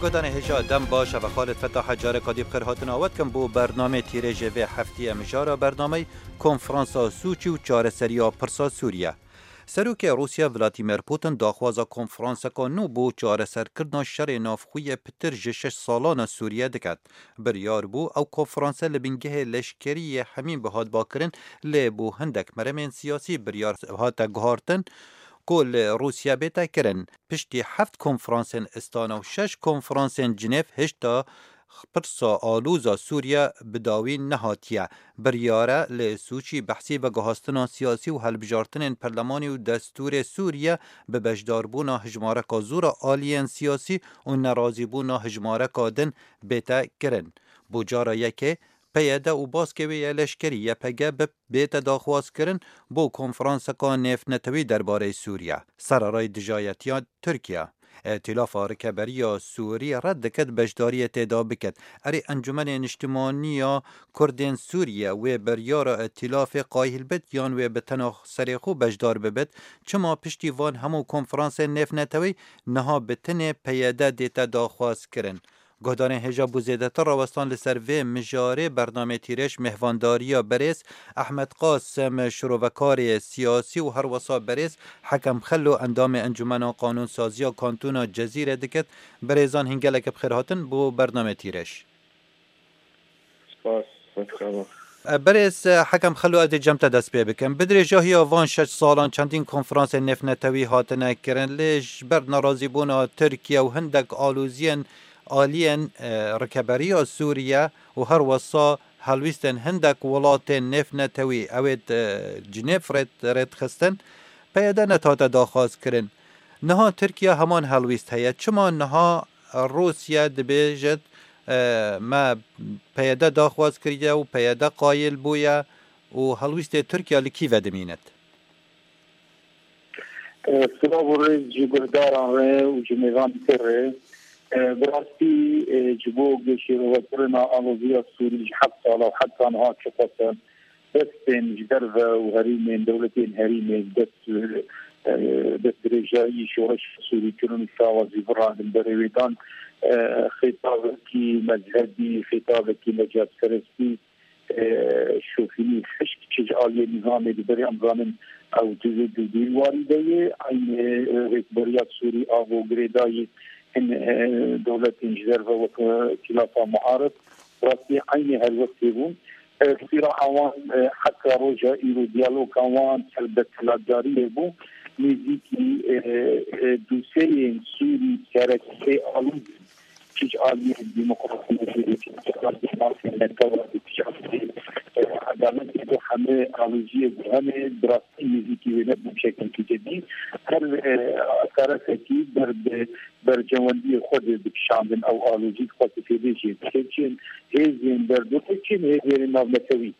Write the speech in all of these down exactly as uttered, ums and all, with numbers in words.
Guhdarên hêja dem baş, ev Xalid Fetah e, careka dî bi xêr hatina we dikim bo bernamê tîrêjê vê heftiyê. Mijara bernameyê konferansa Sûçî û çareseriya pirsa Sûriye. Serokê Rûsya Vladimir Putin daxwaza konferanseka nû bo çareserkirina şerê navxwe yê pitir ji şeş salana Sûriye diket. Biryar bû ew konferanse li bingehê leşkerî yê hemîn bihat bakirin, lê bo hindek meremên siyasî biryar hate guhartin ku li Rûsya bête kirin. Piştî heft konferansên Istana û şeş konferansên Cinêv, hişta pirsa alûza Sûriye bi dawî nehatiye. Biryar e li Sûçî behsî veguhastina siyasî û hilbijartinên perlemanî û destûrê Sûriye bi beşdarbûna hijmareka zor a aliyên siyasî û nerazîbûna hijmareka din bête kirin. Bo cara yekê, P Y D û baskê wê yê leşkerî Y P G bi bête daxwazkirin bo konferanseka nêvnetewî derbarê Sûriye. Sererayî dijayetiya Tirkiye, Îtîlafa Rikeberiya Sûrî red dikit beşdariyê tê de bikit. Erê Encûmenê Niştimanî ya Kurdên Sûriye wê biryara Îtîlafê qayîl bit yan wê bi tena serê xwe beşdar bibit? Çima piştî van hemû konferansên nêvnetewî niha bi tenê P Y D dête daxwazkirin? Guhdarên hêja, bo zêdetir rawestan li ser vê mijarê bernamê Tîrêj mêhvandariya berêz Ehmed Qasim, şirovekarê siyasî û herwesa berêz Hekem Xelo, endamê Encûmena Qanûnsaziya Kantona Cezîrê dikit. Berêzan, hîn gelek bi xêr hatin bo bernamê Tîrêj. Spas, spas. E, berêz, e, Hekem Xelo, ez dê cem te dest pê bikim. Bi dirêjahiya van şeş salan çendîn konferansên nêvnetewî hatine kirin, lê ji ber nerazîbûna Tirkiye û hindek aloziyên aliyên, e, rikeberiya Sûriye û her wesa helwîstên hindek welatên nêvnetewî, ew ê, e, Cinêv rêd-, rêdxistin, P Y D nehate daxwazkirin. Niha Tirkiye heman helwîst heye. Çima niha Rûsya dibêjit, e, me P Y D daxwaz kiriye û P Y D qayil bûye û helwîstê Tirkiye li kî vedimînit? E, silav û rêz ji guhdaran re û ji mêvan dîtir re. E, bi rastî, e, ji bo şîrovekirina aloziya Sûrî ji heft sala û heta niha çiqas e, destên ji derve û herîmên, dewletên herîmê dest, e, destdirêjayî şoreşa Sûrî kirin û şawazî virandin berê wê dan. E, xêtavekî mezhebî, xêtavekî necatperestî, e, şofînî, hişk çi ji aliyê nîzamê dibe, em zanin ew di, di, di warî de ye. Eynî, e, rêkberiya Sûrî avo girêdayî hin, e, dewletên ji derve wek, e, Îtîlafa Muarif, rastî eynî helwestê bûn. E, sîra'a wan, e, heta roja îro diyaloga wan ser beteladariyê bû. Nêzîkî, e, e, dûseyên Sûrî sereke alûz çi ji aliyê demokrasiyê, çi ji aliyê mafê netewa, çi ji aliyê, e, edaletê, ku hemî aloziyê ku hene, bi rastî nêzîkî wê nebû bi şekilekî cedî. Her, e, teresekî ber bi berjewendiyê xwe de dikişandin ew alozî, dixwest fêdê jê bike. Çin hêzên derdorê, çin hêzên navnetewî.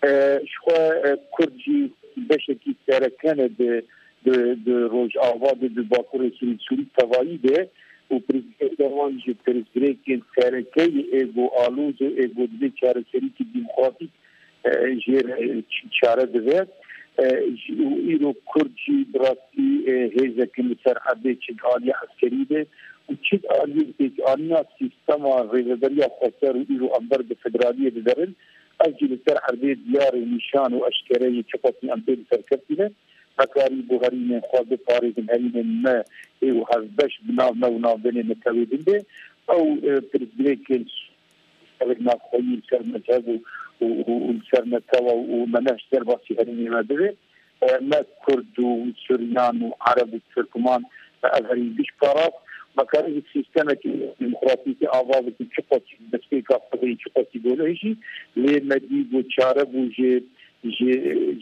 E, ji xwe, e, Kurd jî beşekî sereke ne di, di, di Rojava de, di Bakurê Sûrî, Sûrî tevayî de û pirsgirêka wan ji pirsgirêkên sereke yê êgo aloz û êgo divê çareserîkî demokratîk, e, jê re, e, ç-, çare dibe. E, ji, û îro Kurd jî bi rastî, e, hêzekin li ser erdê çi di aliyê eskerî de û çi di aliyê pêkanîna sîstema rêveberiya xweser û îro em ber bi federaliyê diderin. Ev jî li ser erdê diyar û nîşan û eşkere yê çiqasî em pê li ser keftî ne. Me karî bo herîmên xwe biparêzin, herîmên me ê û hevbeş bi nav me û navbênê netewê din be. Ew, e, pirsgirêkên ev navxweyî li ser mezheb û, û, û, û li ser netewa û me ne ji derbasî herîmê me bibe. E, me Kurd û Suryan û Ereb û Tirkman, e, ev herî giş parast. Me karî bi sîstemekî demokratîkî ava bikin, çiqasî destpêka xwe de yî, çiqasî gole jî, lê me dî ku çare bû jê, jê,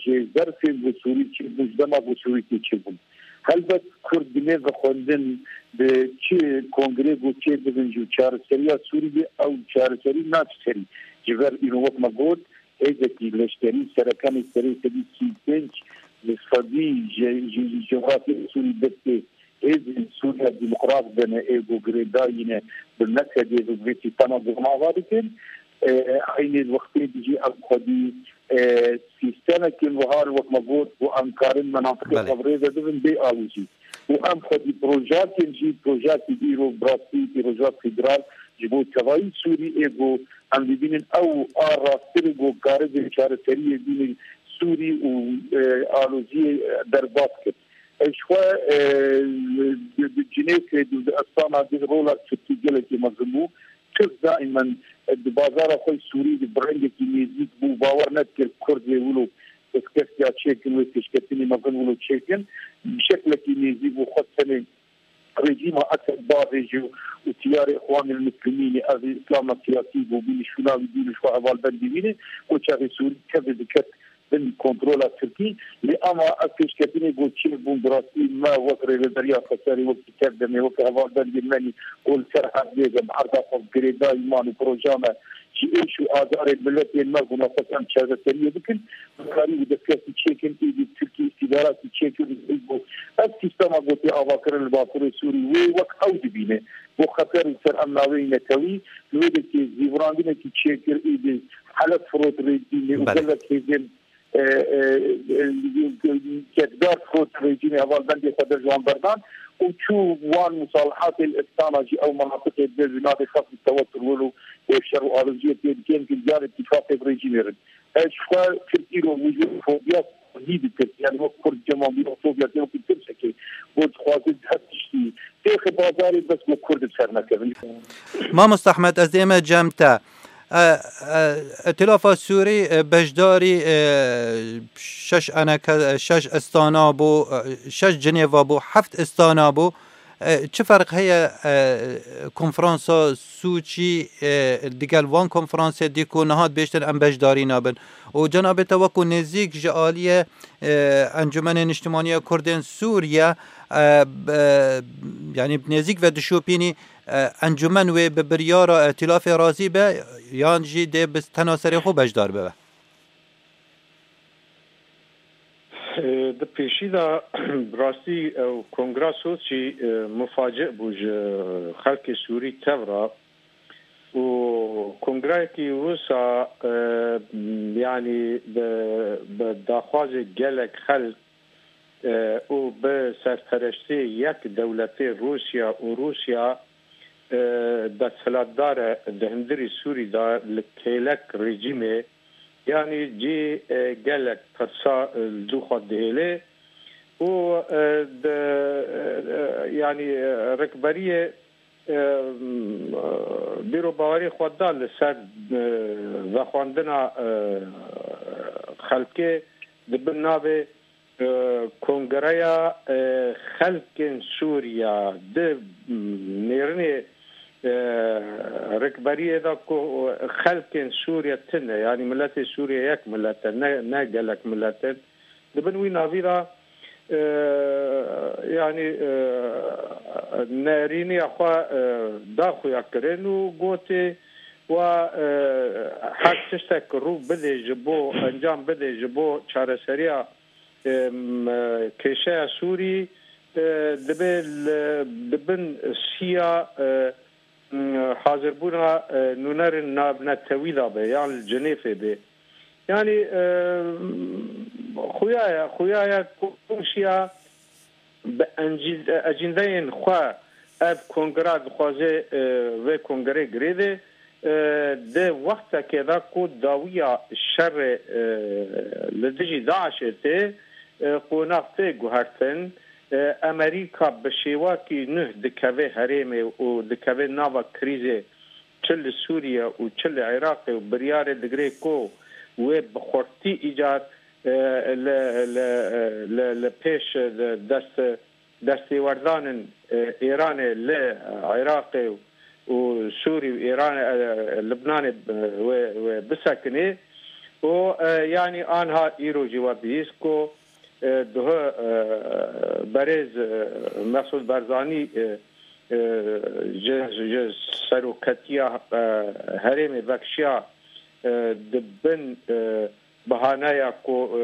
jê zerfên ku Sûrî çêbûn, ji dema ku Sûrî tê çêbûn. Helbet Kurd dinê vexwendin bi çi kongre ku çêbibin ji çareseriya Sûrî de, ew çareserî naçe serî. Ji ber îro wek me got, hêzekî leşkerî serekanê serê sedî sî û pênc li sedî ji, ji, ji cografyayê Sûrî destê hêzên Sûriya Demokrat de ne, ê ku girêdayî ne, bi mesedê bi vê sîstema girim ava dikin. E, eynê wextê de jî ev xwedî, e, sîstemekên wiha wek me got, ku em karin menatiqê Belê. xwe bi rê ve bibin bê alozî. Û em xwedî projeyekên jî, projeyekî îro bi rastî îroja federal ji bo tevayî Sûrî ê ku em dibînin ew a rasttir ê ku karibê çareseriyê bînin Sûrî û, e, aloziyê, e, derbas kir. E, ji xwe, e, di, di Cinêfê di, di Estana di rola Tirkî gelekî mezin bû. Tirk daimen, e, di bazara xwe Sûrî de bi rengekî nêzîk bû, bawer nedikir Kurd wê wilo destkeftî ya çêkin, wê pêşketinî mezin wilo çêkin. Bi şeklekî nêzîk bû, xwest tenê rejîma Esed bavêje û tiyarê Îxwanil Muslimînê, ev îslama siyasî bû, bînî şûna wî, bînî ji xwe hevalbendî bînê, û çaxê Sûrî tevî diket bin kontrola Tirkî. Lê ama ev pêşketinê ku çêbûn, bi rastî me wek rêveberiya Xweserê, wek Tev Demê, wek hevalbendên me nî ku li ser hevdê de bi erda xwe girêdayî man û proja me ji êş û azarên miletên me ku naxwest em çareseriyê bikin, bikarî û destkeftî çêkin, êdî Tirkî îstîdaratî çêkin, êdî ku ev sîstema ku tê avakirin li Bakurê Sûrî wê wek ew dibîne. Bo xeter û ser emna wê netewî, li wê dekê zîvirandinekî çêkir, êdî Helef firot rejîmê û Belê. Gelek hêzên, e, e, e, çekdar firot rejîmê hevalbendê xwe de ji wan berdan û çû wan musalihatê li Estana jî ew menatiqê bi navê xef û tewetur wilo û şer û aloziyê tê dikin, ki diyan îtîfaqê bi rejîmê rin. Ez ji xwe Tirkî ro wî fobiya Kurdî dikir. Yani wek Kurd cema wî fobiya tê wekî tirsekê. Bo dixwazin her tiştî têxe bazarê bes bo Kurd bi ser nekevin. Mamosta Ehmed, ez dê me cem te. E, e, Îtîlafa Sûrî, e, beşdarî, e, şeş eneke, e, şeş istana bû, e, şeş Cinêva bû, heft istana bû. E, çi ferq heye, e, konferansa Sûçî, e, digel van konferansê dî ku niha dibêjtin em beşdarî nabin? Û cenabê te wekû nêzîk ji aliyê, e, Encûmenê Niştimanî ya Kurdên Sûriye, e, b-, e, yanî nêzîk ve dişopînî, e, encûmen wê bi biryara îtîlafê razî be yan jî dê bi tena serê xwe beşdar bibe? E, di pêşî de bi rastî ew kongra Soçî, e, mufaci bû ji xelkê Sûrî tev re û kongrayekî wisa, e, yanî bi, bi daxwazê gelek xelk, e, û bi serpereştê yek dewletê Rûsya û Rûsya, e, desthilatdar e di hundirî Sûrî de li kêlek rejîmê, yanî cî, e, gelek pirsa, e, li dû xwe dihêle û, e, di, e, yanî, e, rikberiyê, e, bîr û bawerî xwe da li ser, e, vexwendina, e, xelkê di bin navê e, Kongreya, e, Xelkên Sûriya di, m, nêrînê, e, rikberiyê de ku xelkên Sûriye tune, yanî miletê Sûriye yek milet e, ne, ne gelek milet in. Di bin wî navî de, e, yanî, e, nerîniya xwe, e, da xuya kirin û gotê, wa, e, her tiştek rû bidê ji bo, encam bidê ji bo çareseriya, em, e, kêşeya Sûrî, e, dibe li, di bin siya, e, m, hazirbûna, e, nûnerên navnetewî de be, yan li Cinêfê be. Yanî, e, xuya ye, xuya ye ku Rûsya bi encî-, ecîndeyên xwe ev kongra dixwaze, e, vê kongrê girêdê, e, di wextekê de ku dawiya şerê, e, li dijî DAIŞê tê, e, qonax tê guhertin, e, Amerîka bi şêwakî nuh dikeve herêmê û dikeve nava krîzê, çi li Sûriye û çi li Iraqê û biryarê digire ku wê bi xurtî îcar, e, li, li, e, li, li pêş, e, dest, destêwerdanên, e, Îranê li Iraqê û Sûrî û Îran, e, Libnanê, e, wê, wê bisekinê. Û, e, yanî anha îro jî we bihîst ku, e, duhe, e, berêz, e, Mesûd Barzanî, e, e, ji, ji seroketiya, e, herêmê vekişiya, e, di bin, e, bahaneya ku, e,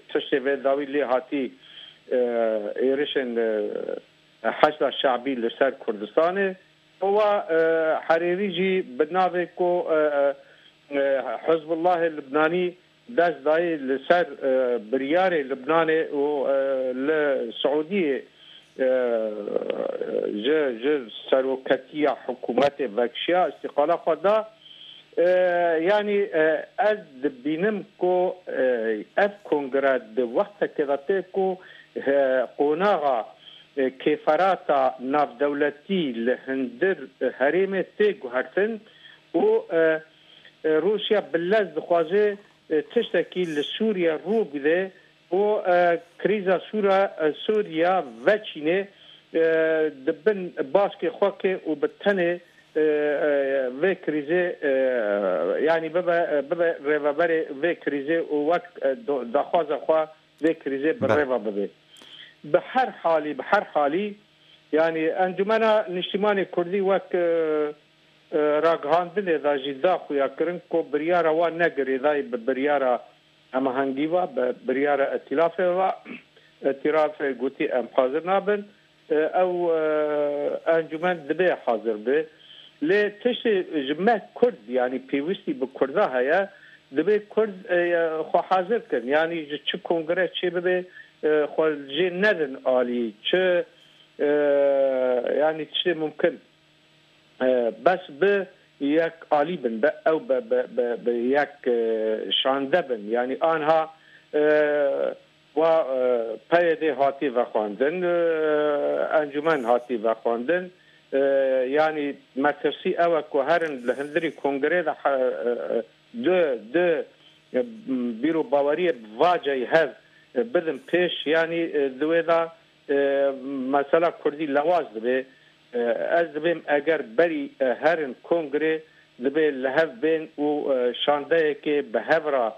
tiştê vê dawî lê hatî, e, êrişên, e, Heşda Şe'bî li ser Kurdistanê. Wa, e, herêmî jî bi navê ku, e, e, e, Hizbullahê Libnanî dest dayî li ser, e, biryarê Libnanê û, e, li Siûdiyê, e, ji, ji seroketiya hikûmetê vekişiya, îstîqala xwe da. E, yanî, e, ez dibînim ku, e, ev kongre di wextekê de tê ku, e, qonaxa, e, kêferata navdewletî li hundir herêmê tê guhertin û, e, e, Rûsya bi lez dixwaze, e, tiştekî li Sûriye rû bide û, e, krîza Sûra-, e, Sûriya veçîne, e, di bin baskê xwe ke û bi tenê, e, e, vê krîzê, e, yanî bibe, bibe rêveberê vê krîzê û wek, e, do-, daxwaza xwe vê krîzê bi Be- rêva bibe. Bi her halî, bi her halî, yanî Encûmena Niştîmanê Kurdî wek, e, e, ragihandinê de jî da xuya kirin ku biryara wan ne girêdayî bi biryara hemahengî ve, bi biryara îtîlafê ve. Îtîlafê gotî em hazir nabin. E, ew, e, encûmen divê hazir be. Lê tiştê ji me Kurd, yanî pêwîstî bi Kurda heye, divê Kurd, e, xwe hazir kin. Yanî ji çi kongre çê bibe, e, xwe jê nedin alî. Çi, e, yanî tiştê mumkin. E, bes bi yek alî bin, be ew be, be, be, be yek, e, şande bin. Yanî anha, e, wa, e, P Y D hatî vexwendin, e, encûmen hatî vexwendin. E, yanî metirsî ew e ku herin li hundirî kongrê de he-, e, e, du, du, e, bîr û baweriyê bi vaceyî hev, e, bidin pêş, yanî, e, di wê de, e, mesela Kurdî lewaz dibe. E, ez dibêm eger berî, e, herin kongrê dibe li hev bên û, e, şandeyekê bi hev re,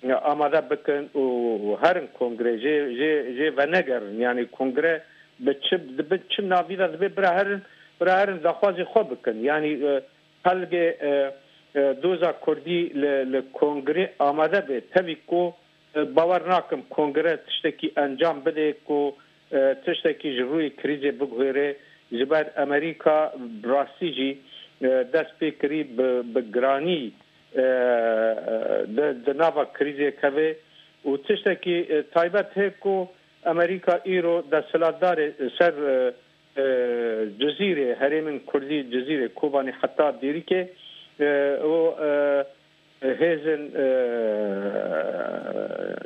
e, amade bikin û herin kongrê jê, jê, jê venegerin. Yanî kongre bi çi, di bin çi navî de dibe bira herin, bira herin daxwazê xwe bikin. Yanî, e, pelgê, e, e, doza Kurdî li, li kongrê amade be. Tevî ku, e, bawer nakim kongre tiştekî encam bide ku, e, tiştekî ji rûyê krîzê biguhêre. Ji ber Amerîka bi rastî jî, e, dest pê kirî bi, bi giranî, e, e, di, di nava krîzê keve û tiştekî, e, taybet heye ku Amerîka îro desthilatdarê ser, e, e, Cizîrê, herêmên Kurdî Cizîrê, Kobanê heta Dêrikê, e, û, e, hêzên, e,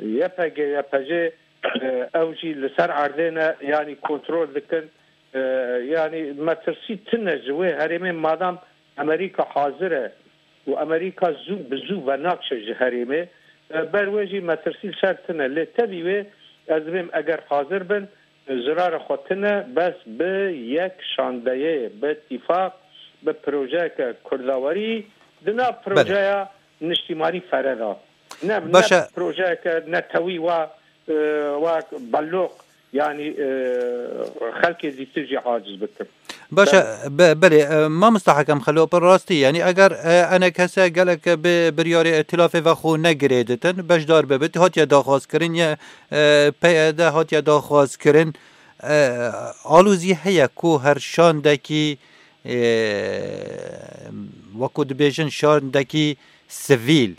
Y P G, Y P G, e, ew jî li ser erdê ne, yanî kontrol dikin. E, yanî metirsî tune ji wê herêmê madam Amerîka hazir e û Amerîka zû bi zû venakşe ji herêmê. E, ber wê jî metirsî li ser tune. Lê tevî wê ez dibêm eger hazir bin, zirara xwe tune, bes bi yek şandeyê, bi tîfaq, bi projeyeke kurdawerî, di nav Belê. projeya niştîmanî fere de. Ne, Baş ne e. projeyeke netewî wa, e, wa belloq, yanî, e, xelkê dîtir jî aciz bikin. Baş e, Belê. be-, belê, e, mamosta Hekem Xelo, bi rastî, yanî eger, e, enekese gelek bi biryarê îtilafê ve xwe negirê ditin, beşdar bibit, hatiye daxwazkirin, ya, e, P Y D hatiye daxwazkirin, e, alozî heye ku her şandekî, e, wekû dibêjin şandekî sivîl,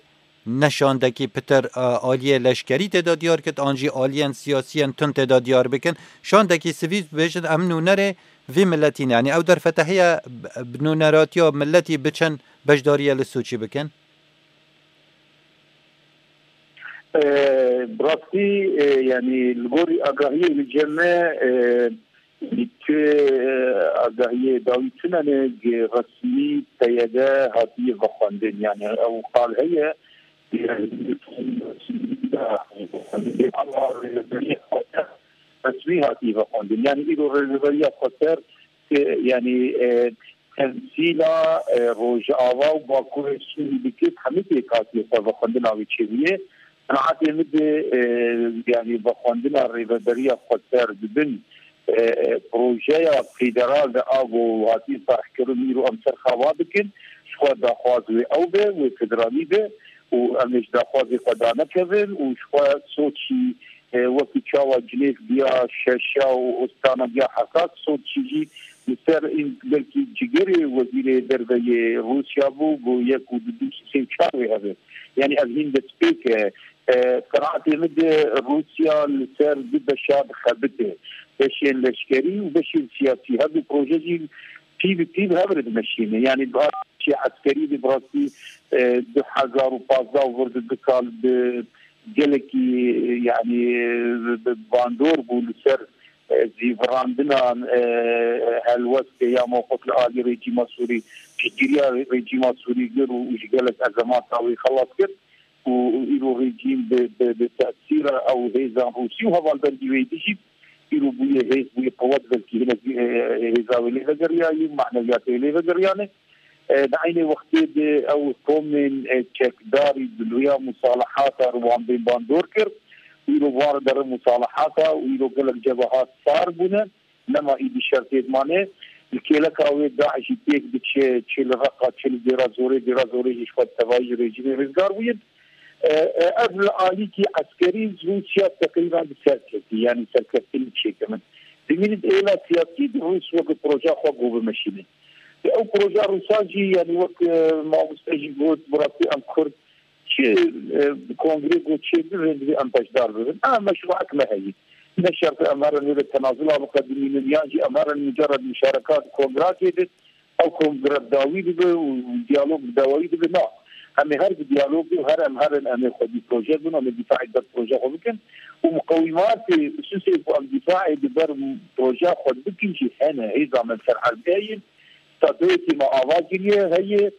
ne şandekî pitir, e, aliyê leşkerî tê de diyar kit, an jî aliyên siyasiyên tund tê de diyar bikin. Şandekî sivîl bêjin em nûnerê vî miletî ne. Yanî ew derfete heye b-, bi nûneratiya miletî biçin beşdariye li Soçî bikin? E, bi rastî, e, yanî li gorî agahiyê li cem me, e, Ti, e, agahiyê dawî tune ne, gi resmî P Y D hatiye vexwendin. Yani ew qal heye, resmî hatiye vexwendin. Yani îro rêveberiya xweser, e, yani, e, temsîla, e, Rojava û Bakurê Sûrî dikir, hemî pêk hatiye xwe vexwendina wê çêbûye. Qenaetê min de, e, yanî vexwendina rêveberiya xweser dibin, e, e, projeya federal de ago hatî tarhkirin îro em ser xava bikin, ji xwe daxwaz wê ew be, wê federalî be û em ê ji daxwazê xwe danekevin û ji xwe Soçî, e, wekî çawa Cinêv biya şeşa û Ostana biya hesas, Soçî jî li ser in belkî cigerê wezîrê derve yê Rûsya bû, got yek û du, du, sê û çar wê hebe. Yani ev hîn destpêk e. E, qenaetê min de Rûsya li ser du beşa dixebite. Beşên leşkerî û beşên siyasî. Her du proje jî pî bi pî bi hev re dimeşîne. Yanî bi beşê eskerî de bi rastî, e, du hezar û pazdeh û vir de du sal bi gelekî, yanî, e, bi bandor bû li ser, e, zîvirandina, e, helwestê ya mewqif li alî rejîma Sûrî, piştgiriya rejîma Sûrî kir û ji gelek ezemata wî xelas kir. Û îro rejîm bi, bi, bi tesîra ew hêzan Rûsî û hevalbendî wê dijî îro bûye hêz, bûye qewet, belkî hinek, e, hêza wê lê vegeriyayî û maneviyatê wê lê vegeriyane. E, di eynê wextê de ew komên, e, çekdarî bi rêya musalahata re wan bên bandor kir. Îro van re derin musalahata û îro gelek cebehat sar bûne. Nema îdî şertê dimane. Li kêleka wê DAIŞ jî têk diçe, çi li Reqa, çi li Dêra Zorê, Dêra Zorê jî ji xwe tevayî ji rejîmê rizgar bûye. E, e, ev li alîkî eskerî Rûsya teqrîben bi ser ketî, yanî serkeftinî çêkirin. Dimînî di êla siyasî de Rûs weke proja xwe go bimeşîne. Ew proja Rûsa jî, yanî wek, e, mamoste jî got, bi rastî em Kurd çi, e, kongrê got çêbibin, divê em beşdar bibin. Em meşruek me heye. Ne şert em herin wê de tenazula biqedimînin, yan jî em herin mucerred muşarekat kongrakê de, ew kongre bi dawî dibe û diyalog bi dawî dibe. Na. Em ê her bi diyalog û her em herin em ê xwedî proje bin, em ê dîfaê ber proje xwe bikin. Û muqewîmatê, usûsê ku em dîfaê di ber proje xwe bikin jî hene. Hêza me li ser erdê heye. Statûyekî me ava kiriye heye.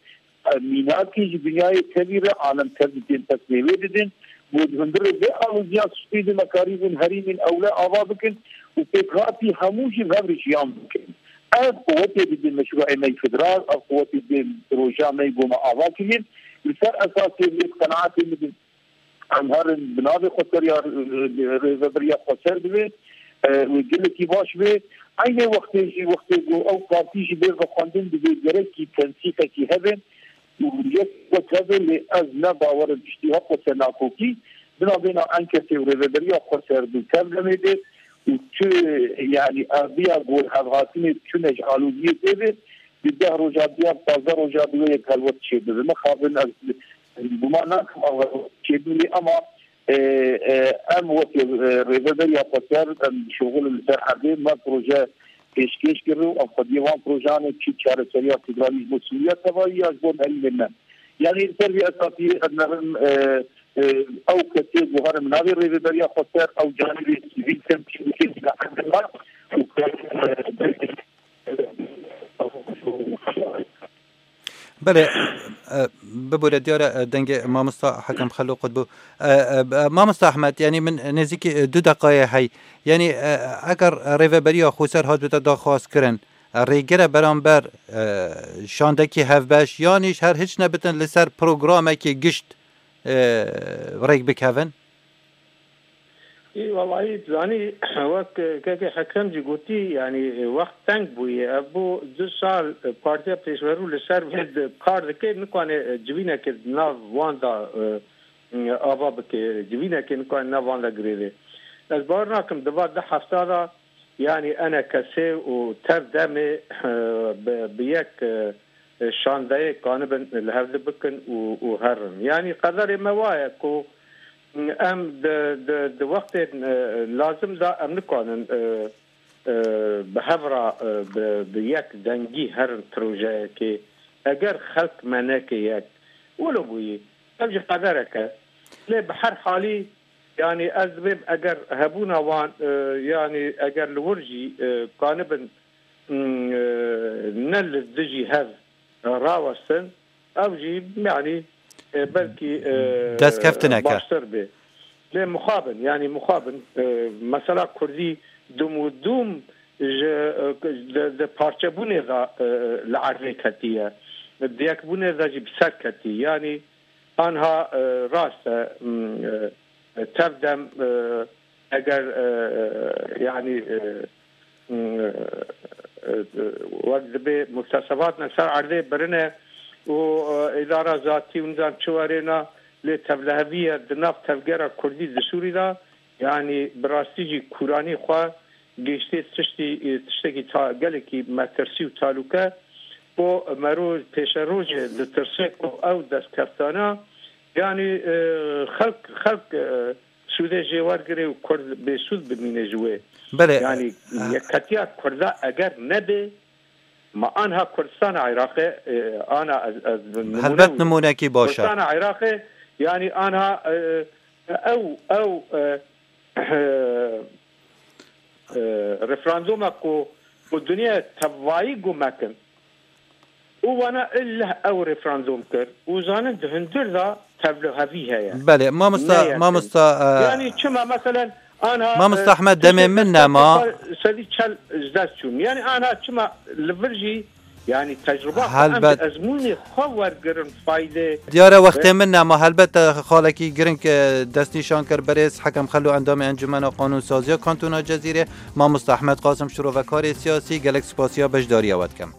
Mînakê ji dinyayê tevî re alem tev didin, tesmê wê didin. Ku di hundirê vê aloziya sustî de me karîbûn herîmên ewle ava bikin û pêkhatî hemû jî hev re jiyan bikin. Ev quwetê didin meşruê me yê federal, ev quwetê didin proja me yê ku me ava kiriye. Li ser esasê vê qenaetê min de em herin bi navê Xweser ya, e, Rêveberiya Xweser divê, e, wê gelekî baş bê. Eynê wextê jî, wextê ku ew partî jî bê vexwendin, divê gerekî tensîqekî hebe û yek wek hebe, lê ez ne bawer im piştî hep weke nakokî. Di navbêna Enketê û Rêveberiya Xweser di tev demê de û tu, yanî, eviya ku hevhatinê tune ji aloziyê tê de, di deh roja diya, pazdeh roja diya wê yek helwest çêbibe. Mixabin ez guman nakim ev çêbûnê, ama, e, e, em weke, e, Rêveberiya Xweser, em şoxil li ser erdê me proje pêşkêş kir û em xwediyê wan projanê çi çareseriya federalî ji bo Sûriya tevayî ya ji bo herîmên me. Yanî li ser vî esasî ez nerim, e, e, ew kesê guherim navê Rêveberiya Xweser, ew canî vê sivîl temkîn dike, dike û Belê, e, bibûre diyar e, dengê mamosta Hekem Xelo qut bû. E, e, mamosta Ahmed, yanî min nêzîkî, e, du deqayê hey. Yanî, e, eger rêveberiya Xweser hat bite daxwaz kirin, e, rêgire beramber, e, şandekî hevbeş, yanî ji her hiç nebitin li ser programekî gişt, e, rêk bikevin? Ê, welahî, zanî, wek, e, kekê Hekem jî gotî, yanî, e, wext teng bûye. Ev bû du sal, e, Partiya Pêşverû li ser vê di kar dike, nikane, e, civîneke di nav wan de, e, e, ava bike, civîneke nikane nav wan de girêve. Ez bawer nakim, di va du hefta de, yanî, enekesê û tev demê, e, bi, bi yek, e, e, şandeyê kanibin li hevdî bikin û, û herin. Yanî, qederê me wa ye ku, Em di, di, di wextên, e, lazim de em nikanin, e, e, bi hev re, e, bi, bi yek dengî herin projeyekê. Eger xelk me neke yek, wilo bûyî, ev jî qederek e. Lê bi her halî, yanî ez dibêm eger hebûna wan, e, yanî eger li wir jî, e, kanibin, m, e, ne li dijî hev rawestin, ev jî, yanî, e, belkî, e, Destkeftineke. Baştir bê. Lê mixabin, yanî mixabin, e, mesela Kurdî dum û dum ji, e, di, di parçebûnê de, e, li erdê ketiye. Di yekbûnê de jî bi ser ketî. Yanî anha, e, rast e, m, e, tev dem, e, eger, e, e, yanî, e, e, e, wek dibê muktesebatne ser erdê birine û, e, îdara zatî û nizam çi werêna, lê tevliheviye di nav tevgera Kurdî di Sûrî de, yanî bi rastî jî kûranî xwe gihiştê tiştî, e, tiştekî ta-, gelekî metirsî û talûke, ku mero pêşerojê ditirse ku ew destkeftana Yani e, xelk xelk e, sûdê jê wergirê û Kurd bêsûd bimîne ji wê. Belê. Yani e, yeketiya Kurda eger nebe, ma anha Kurdistana Iraqê e, ana ez, ez nimûne Helbet wî. Nimûnekî baş e. Kurdistana Iraqê yani anha e, ew ew e, e, e, referandûmek ku ku dinyayê tevayî guh mekin û wana illeh ew referandûm kir û zanin di hundir de tevlihevî heye. Belê, mamosta, Neyê mamosta, e, yani çima meselen anha, Mamosta e, Ehmed, demê tiştê min nema. Sedî çel ji dest çûn. Yani anha çima li vir jî yani tecrüba xwe em Helbet. Ezmûnê xwe wergirin faydê. Diyare wextê min nema, helbet te xalekî giring, e, destnîşan kir birêz Hekem Xelo endamê Encumena Qanûnsaziya Kantona Cezîrê, Mamosta Ehmed Qasim şirovekarê siyasî, gelek spasiya beşdariya we dikim.